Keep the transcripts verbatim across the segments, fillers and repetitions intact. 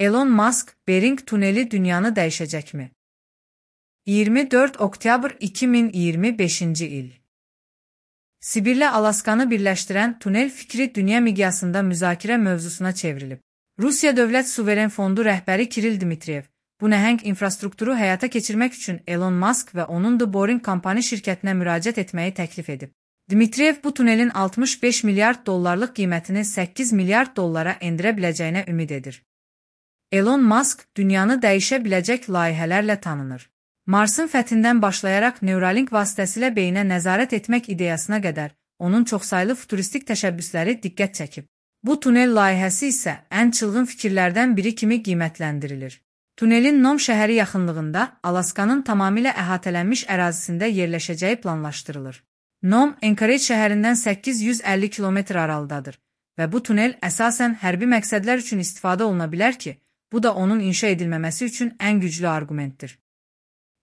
Elon Musk, Bering tuneli dünyanı dəyişəcəkmi? iyirmi dörd oktyabr iki min iyirmi beşinci il. Sibirlə Alaskanı birləşdirən tunel fikri dünya miqyasında müzakirə mövzusuna çevrilib. Rusiya Dövlət Suveren Fondu rəhbəri Kiril Dmitriyev, bu nəhəng infrastrukturu həyata keçirmək üçün Elon Musk və onun The Boring Company şirkətinə müraciət etməyi təklif edib. Dmitriyev bu tunelin altmış beş milyard dollarlıq qiymətini səkkiz milyard dollara endirə biləcəyinə ümid edir. Elon Musk dünyanı dəyişə biləcək layihələrlə tanınır. Marsın fəthindən başlayaraq Neuralink vasitəsilə beyinə nəzarət etmək ideyasına qədər onun çoxsaylı futuristik təşəbbüsləri diqqət çəkib. Bu tunel layihəsi isə ən çılğın fikirlərdən biri kimi qiymətləndirilir. Tunelin Nom şəhəri yaxınlığında Alaskanın tamamilə əhatələnmiş ərazisində yerləşəcəyi planlaşdırılır. Nom, Anchorage şəhərindən səkkiz yüz əlli kilometr aralıdadır və bu tunel əsasən hərbi məqsədlər üçün istifadə oluna bilər ki, bu da onun inşa edilməməsi üçün ən güclü argumentdir.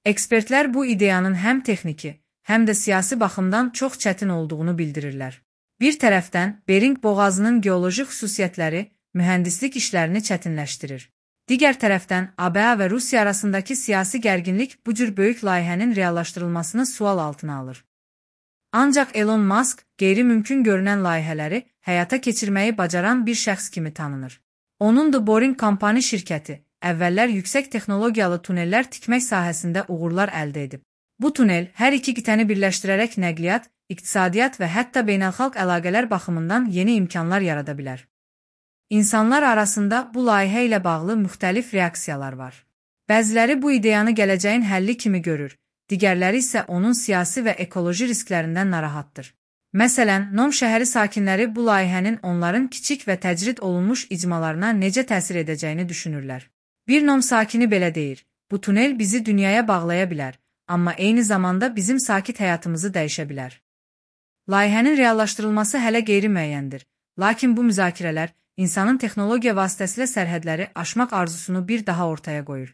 Ekspertlər bu ideyanın həm texniki, həm də siyasi baxımdan çox çətin olduğunu bildirirlər. Bir tərəfdən, Bering boğazının geoloji xüsusiyyətləri mühəndislik işlərini çətinləşdirir. Digər tərəfdən, A B A və Rusiya arasındakı siyasi gərginlik bu cür böyük layihənin reallaşdırılmasını sual altına alır. Ancaq Elon Musk qeyri-mümkün görünən layihələri həyata keçirməyi bacaran bir şəxs kimi tanınır. Onun The Boring Company şirkəti əvvəllər yüksək texnologiyalı tunellər tikmək sahəsində uğurlar əldə edib. Bu tunel hər iki qitəni birləşdirərək nəqliyyat, iqtisadiyyat və hətta beynəlxalq əlaqələr baxımından yeni imkanlar yarada bilər. İnsanlar arasında bu layihə ilə bağlı müxtəlif reaksiyalar var. Bəziləri bu ideyanı gələcəyin həlli kimi görür, digərləri isə onun siyasi və ekoloji risklərindən narahatdır. Məsələn, Nom şəhəri sakinləri bu layihənin onların kiçik və təcrid olunmuş icmalarına necə təsir edəcəyini düşünürlər. Bir Nom sakini belə deyir, bu tunel bizi dünyaya bağlaya bilər, amma eyni zamanda bizim sakit həyatımızı dəyişə bilər. Layihənin reallaşdırılması hələ qeyri-müəyyəndir, lakin bu müzakirələr insanın texnologiya vasitəsilə sərhədləri aşmaq arzusunu bir daha ortaya qoyur.